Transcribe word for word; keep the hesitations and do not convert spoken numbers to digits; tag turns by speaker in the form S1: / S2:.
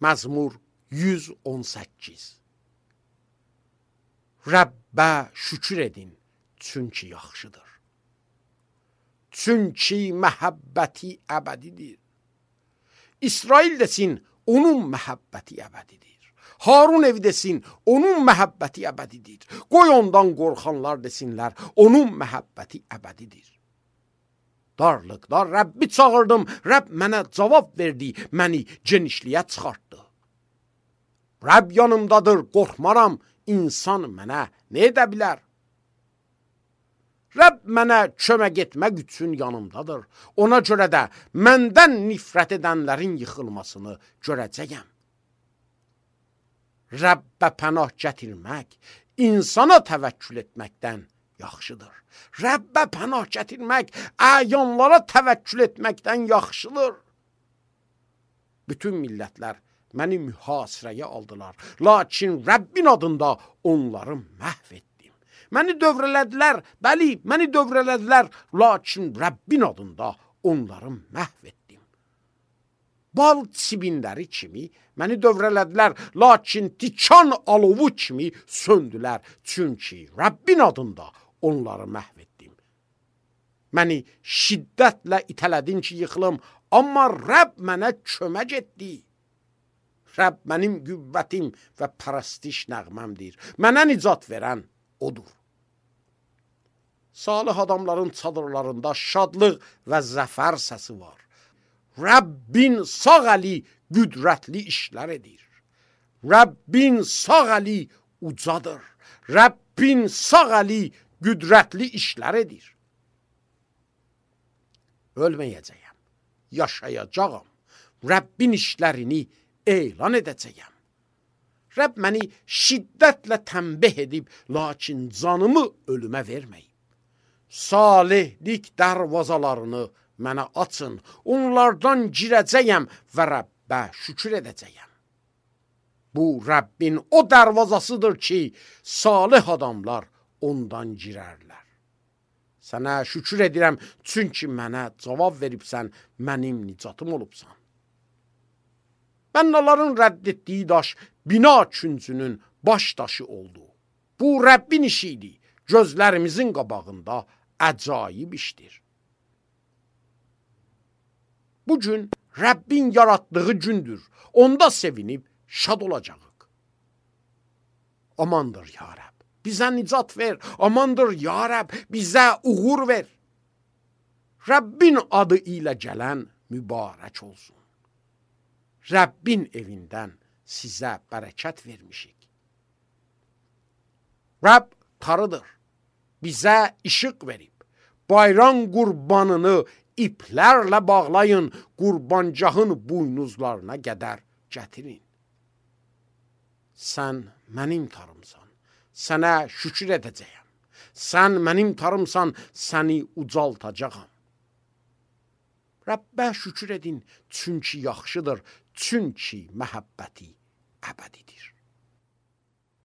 S1: Məzmur yüz on səkkiz. Rəbbə şükür edin, çünki yaxşıdır. Çünki məhəbbəti əbədidir. İsrail desin, onun məhəbbəti əbədidir. Harun evi desin, onun məhəbbəti əbədidir. Qoy ondan qorxanlar desinlər, onun məhəbbəti əbədidir. Darlıqda Rəbbi çağırdım, Rəbb mənə cavab verdi, məni genişliyə çıxartdı. Rəbb yanımdadır, qorxmaram, insan mənə nə edə bilər? Rəbb mənə kömək etmək üçün yanımdadır. Ona görə də məndən nifrət edənlərin yıxılmasını görəcəyəm. Rəbbə pənah gətirmək, insana təvəkkül etməkdən yaxşıdır. Rəbbə pənah gətirmək, əyanlara təvəkkül etməkdən yaxşıdır. Bütün millətlər məni mühasirəyə aldılar, lakin Rəbbin adında onları məhv etdim. Məni dövrələdilər, bəli, məni dövrələdilər, lakin Rəbbin adında onları məhv etdim. Bal çibinləri kimi məni dövrələdilər, lakin tikan alovu kimi söndülər, çünki Rəbbin adında onları məhv etdim. Məni şiddətlə itələdin ki, yıxılım, amma Rəbb mənə kömək etdi. Rəbb mənim qüvvətim və pərəstiş nəğməmdir. Mənə nicat verən odur. Salih adamların çadırlarında şadlıq və zəfər səsi var. Rəbbin sağ əli qüdrətli işlər edir. Rəbbin sağ əli ucadır. Rəbbin sağ əli qüdrətli işlər edir. Ölməyəcəyəm, yaşayacağam. Rəbbin işlərini elan edəcəyəm. Rəbb məni şiddətlə tənbih edib, lakin canımı ölümə verməyib. Salihlik dərvazalarını mənə açın, onlardan girəcəyəm və Rəbbə şükür edəcəyəm. Bu Rəbbin o dərvazasıdır ki, salih adamlar ondan girərlər. Sənə şükür edirəm, çünki mənə cavab veribsən, mənim nicatım olubsan. Bənnəların rədd etdiyi daş bina küncünün baş daşı oldu. Bu Rəbbin işiydi, gözlərimizin qabağında əcaib işdir. Bugün Rəbbin yaratdığı gündür, onda sevinib şad olacağıq. Amandır ya Rəbb, bizə nicat ver, amandır ya Rəbb, bizə uğur ver. Rəbbin adı ilə gələn mübarək olsun. Rəbbin evindən sizə bərəkət vermişik. Rəbb tarıdır, bizə işıq verib. Bayram qurbanını iplərlə bağlayın, qurbancağın buynuzlarına qədər gətirin. Sən mənim tarımsan, sənə şükür edəcəyəm. Sən mənim tarımsan, səni ucaltacağam. Rəbbə şükür edin, çünki yaxşıdır, çünki məhəbbəti əbədidir.